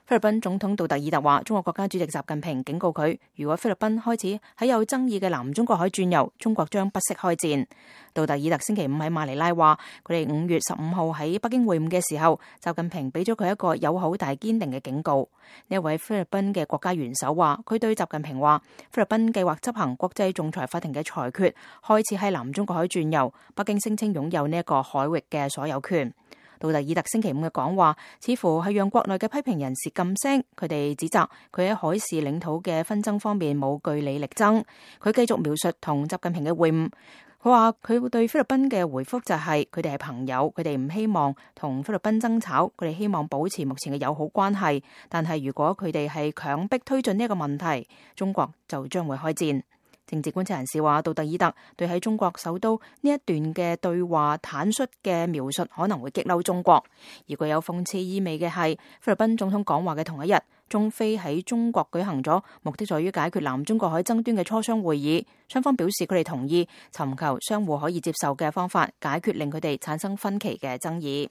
菲律賓總統杜特爾特話，中國國家主席習近平警告佢，如果菲律賓開始喺有爭議嘅南中國海轉右，中國將不惜開戰。杜特爾特星期五喺馬尼拉話，佢哋5月15號喺北京會晤嘅時候，習近平俾咗佢一個友好但係堅定嘅警告。呢一位菲律賓嘅國家元首話，佢對習近平話，菲律賓計劃執行國際仲裁法庭嘅裁決，開始喺南中國海轉右，北京聲稱擁有呢一個海域嘅所有權。杜特爾特星期五嘅講話，似乎係讓國內嘅批評人士噤聲，佢哋指責佢喺海事領土嘅紛爭方面冇據理力爭。佢繼續描述同習近平嘅會晤，佢話佢對菲律賓嘅回覆就係佢哋係朋友，佢哋唔希望同菲律賓爭吵，佢哋希望保持目前嘅友好關係，但係如果佢哋係強迫推進呢一個問題，中國就將會開戰。政治觀察人士話，杜特爾特對喺中國首都呢一段嘅對話坦率嘅描述可能會激嬲中國。而具有諷刺意味嘅係，菲律賓總統講話嘅同一日，中菲喺中國舉行咗目的在於解決南中國海爭端嘅磋商會議，雙方表示佢哋同意尋求相互可以接受嘅方法，解決令佢哋產生分歧嘅爭議。